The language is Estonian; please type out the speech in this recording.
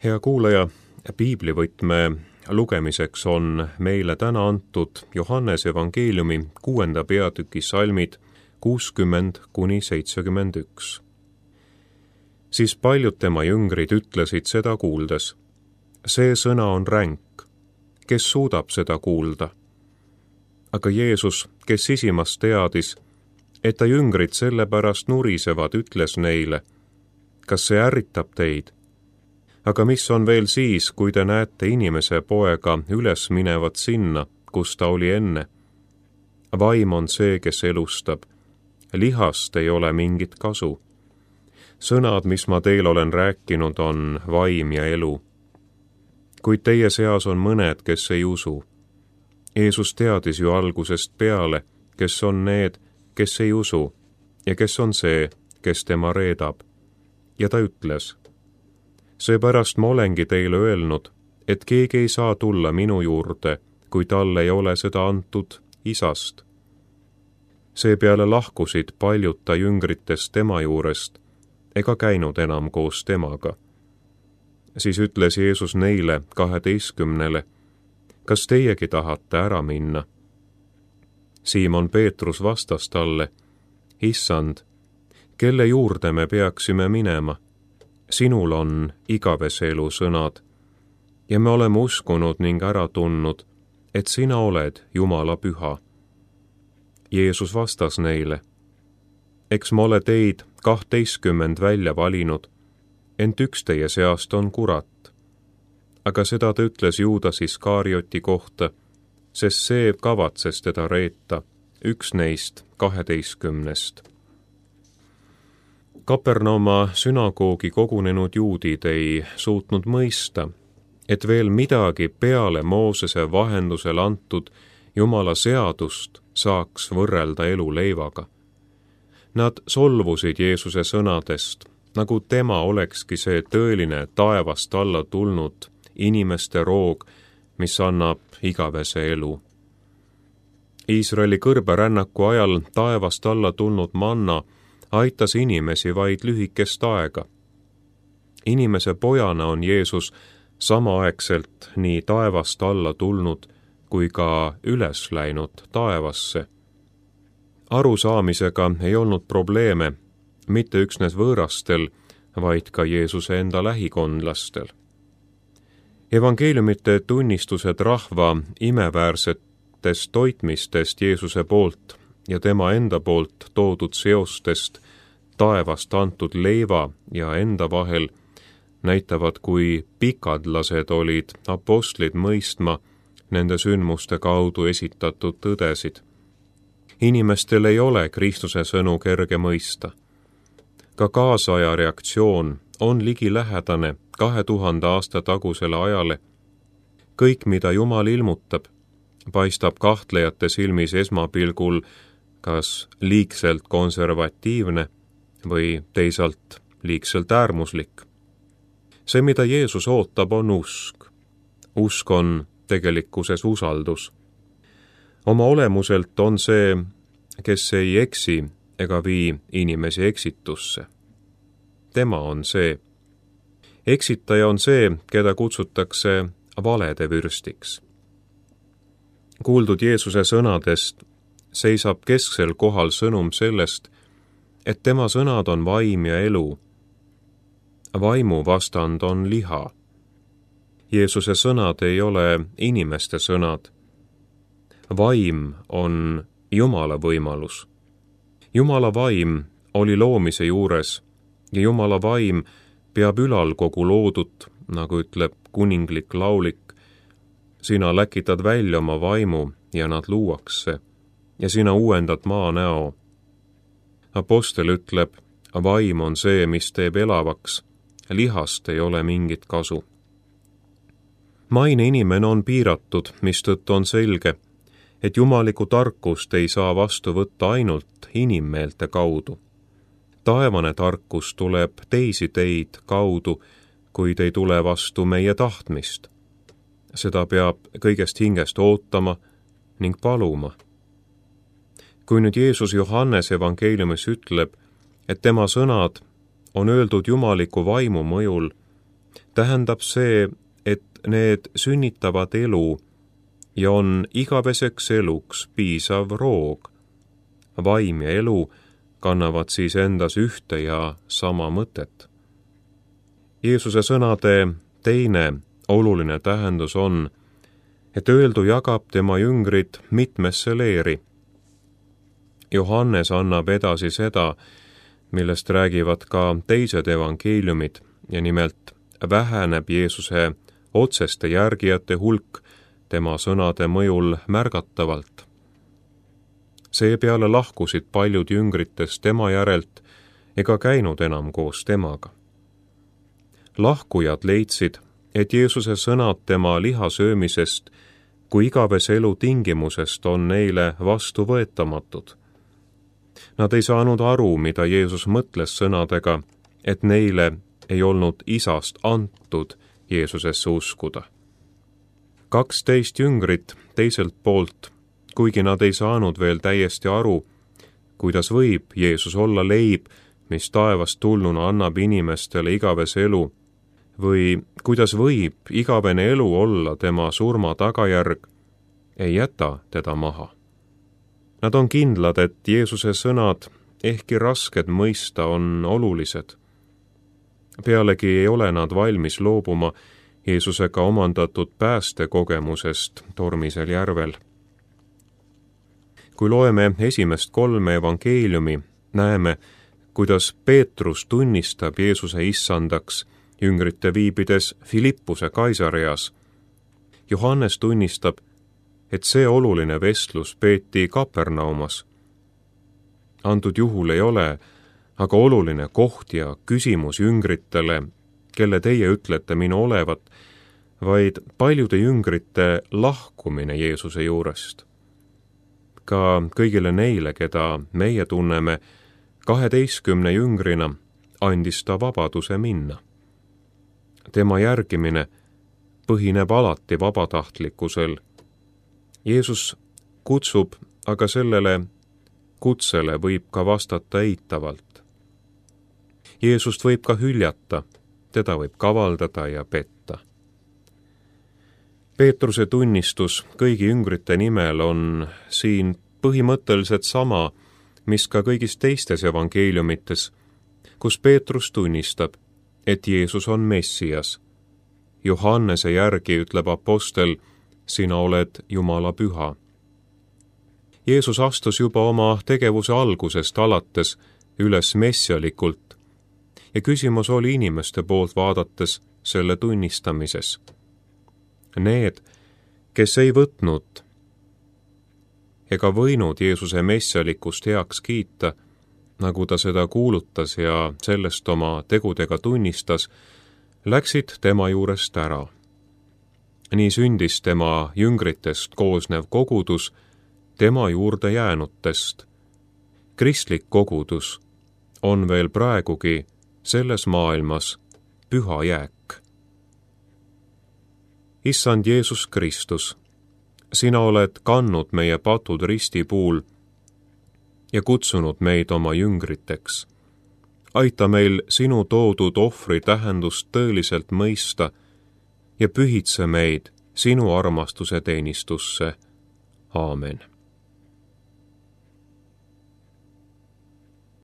Hea kuulaja, piiblivõtme lugemiseks on meile täna antud Johannese evangeeliumi 6. peatüki salmid 60–71. Siis paljud tema jüngrid ütlesid seda kuuldes: see sõna on ränk, kes suudab seda kuulda? Aga Jeesus, kes sisimas teadis, et ta jüngrid sellepärast nurisevad, ütles neile: kas see ärritab teid? Aga mis on veel siis, kui te näete inimese poega üles minevat sinna, kus ta oli enne? Vaim on see, kes elustab. Lihast ei ole mingit kasu. Sõnad, mis ma teil olen rääkinud, on vaim ja elu. Kuid teie seas on mõned, kes ei usu. Jeesus teadis ju algusest peale, kes on need, kes ei usu, ja kes on see, kes tema reedab. Ja ta ütles: seepärast ma olengi teile öelnud, et keegi ei saa tulla minu juurde, kui talle ei ole seda antud Isast. Seepeale lahkusid paljud ta jüngritest tema juurest, ega käinud enam koos temaga. Siis ütles Jeesus neile 12, kas teiegi tahate ära minna? Siimon Peetrus vastas talle: Issand, kelle juurde me peaksime minema? Sinul on igavese elu sõnad, ja me oleme uskunud ning ära tundnud, et sina oled Jumala püha. Jeesus vastas neile: eks ma ole teid 12 välja valinud, ent üks teie seast on kurat. Aga seda ta ütles Juudas Iskarioti kohta, sest see kavatses teda reeta, üks neist 12. Kapernauma sünagoogi kogunenud juudid ei suutnud mõista, et veel midagi peale Moosese vahendusel antud Jumala seadust saaks võrrelda eluleivaga. Nad solvusid Jeesuse sõnadest, nagu tema olekski see tõeline taevast alla tulnud inimeste roog, mis annab igavese elu. Iisraeli kõrberännaku ajal taevast alla tulnud manna aitas inimesi vaid lühikest aega. Inimese pojana on Jeesus samaaegselt nii taevast alla tulnud kui ka üles läinud taevasse. Arusaamisega ei olnud probleeme mitte üksnes võõrastel, vaid ka Jeesuse enda lähikondlastel. Evangeeliumite tunnistused rahva imeväärsetest toitmistest Jeesuse poolt ja tema enda poolt toodud seostest taevast antud leiva ja enda vahel näitavad, kui pikadlased olid apostlid mõistma nende sündmuste kaudu esitatud tõdesid. Inimestel ei ole Kristuse sõnu kerge mõista. Ka kaasaja reaktsioon on ligilähedane 2000 aasta tagusele ajale. Kõik, mida Jumal ilmutab, paistab kahtlejate silmis esmapilgul kas liigselt konservatiivne või teisalt liigselt äärmuslik. See, mida Jeesus ootab, on usk. Usk on tegelikkuses usaldus. Oma olemuselt on see, kes ei eksi ega vii inimesi eksitusse. Tema on see. Eksitaja on see, keda kutsutakse valede vürstiks. Kuuldud Jeesuse sõnadest seisab kesksel kohal sõnum sellest, et tema sõnad on vaim ja elu. Vaimu vastand on liha. Jeesuse sõnad ei ole inimeste sõnad. Vaim on Jumala võimalus. Jumala vaim oli loomise juures ja Jumala vaim peab ülal kogu loodut, nagu ütleb kuninglik laulik. Sina läkitad välja oma vaimu ja nad luuakse ja sina uuendad maa näo. Apostel ütleb, vaim on see, mis teeb elavaks, lihast ei ole mingit kasu. Maine inimene on piiratud, mistõttu on selge, et jumalikku tarkust ei saa vastu võtta ainult inimmeelte kaudu. Taevane tarkus tuleb teisi teid kaudu, kuid ei tule vastu meie tahtmist. Seda peab kõigest hingest ootama ning paluma. Kui nüüd Jeesus Johannese evangeeliumis ütleb, et tema sõnad on öeldud jumaliku vaimu mõjul, tähendab see, et need sünnitavad elu ja on igaveseks eluks piisav roog. Vaim ja elu kannavad siis endas ühte ja sama mõtet. Jeesuse sõnade teine oluline tähendus on, et öeldu jagab tema jüngrid mitmesse leeri. Johannes annab edasi seda, millest räägivad ka teised evangeeliumid, ja nimelt väheneb Jeesuse otseste järgijate hulk tema sõnade mõjul märgatavalt. Seepeale lahkusid paljud jüngritest tema järelt ega käinud enam koos temaga. Lahkujad leidsid, et Jeesuse sõnad tema lihasöömisest kui igavese elu tingimusest on neile vastuvõetamatud. Nad ei saanud aru, mida Jeesus mõtles sõnadega, et neile ei olnud isast antud Jeesusesse uskuda. 12 jüngrit teiselt poolt, kuigi nad ei saanud veel täiesti aru, kuidas võib Jeesus olla leib, mis taevast tulnuna annab inimestele igavese elu, või kuidas võib igavene elu olla tema surma tagajärg, ei jäta teda maha. Nad on kindlad, et Jeesuse sõnad, ehkki rasked mõista, on olulised. Pealegi ei ole nad valmis loobuma Jeesusega omandatud päästekogemusest tormisel järvel. Kui loeme esimest 3 evangeeliumi, näeme, kuidas Peetrus tunnistab Jeesuse issandaks jüngrite viibides Filippuse Kaisareas. Johannes tunnistab, et see oluline vestlus peeti Kapernaumas. Antud juhul ei ole aga oluline koht ja küsimus jüngritele, kelle teie ütlete minu olevat, vaid paljude jüngrite lahkumine Jeesuse juurest. Ka kõigile neile, keda meie tunneme 12 jüngrina, andis ta vabaduse minna. Tema järgimine põhineb alati vabatahtlikkusel. Jeesus kutsub, aga sellele kutsele võib ka vastata eitavalt. Jeesust võib ka hüljata, teda võib kavaldada ja petta. Peetruse tunnistus kõigi jüngrite nimel on siin põhimõtteliselt sama, mis ka kõigis teistes evangeeliumites, kus Peetrus tunnistab, et Jeesus on Messias. Johannese järgi ütleb apostel, sina oled Jumala püha. Jeesus astus juba oma tegevuse algusest alates üles messialikult ja küsimus oli inimeste poolt vaadates selle tunnistamises. Need, kes ei võtnud ega võinud Jeesuse messialikust heaks kiita, nagu ta seda kuulutas ja sellest oma tegudega tunnistas, läksid tema juurest ära. Nii sündis tema jüngritest koosnev kogudus tema juurde jäänutest. Kristlik kogudus on veel praegugi selles maailmas püha jääk. Issand Jeesus Kristus, sina oled kandnud meie patud ristipuul ja kutsunud meid oma jüngriteks. Aita meil sinu toodud ohvri tähendust tõeliselt mõista ja pühitse meid sinu armastuse teenistusse. Aamen.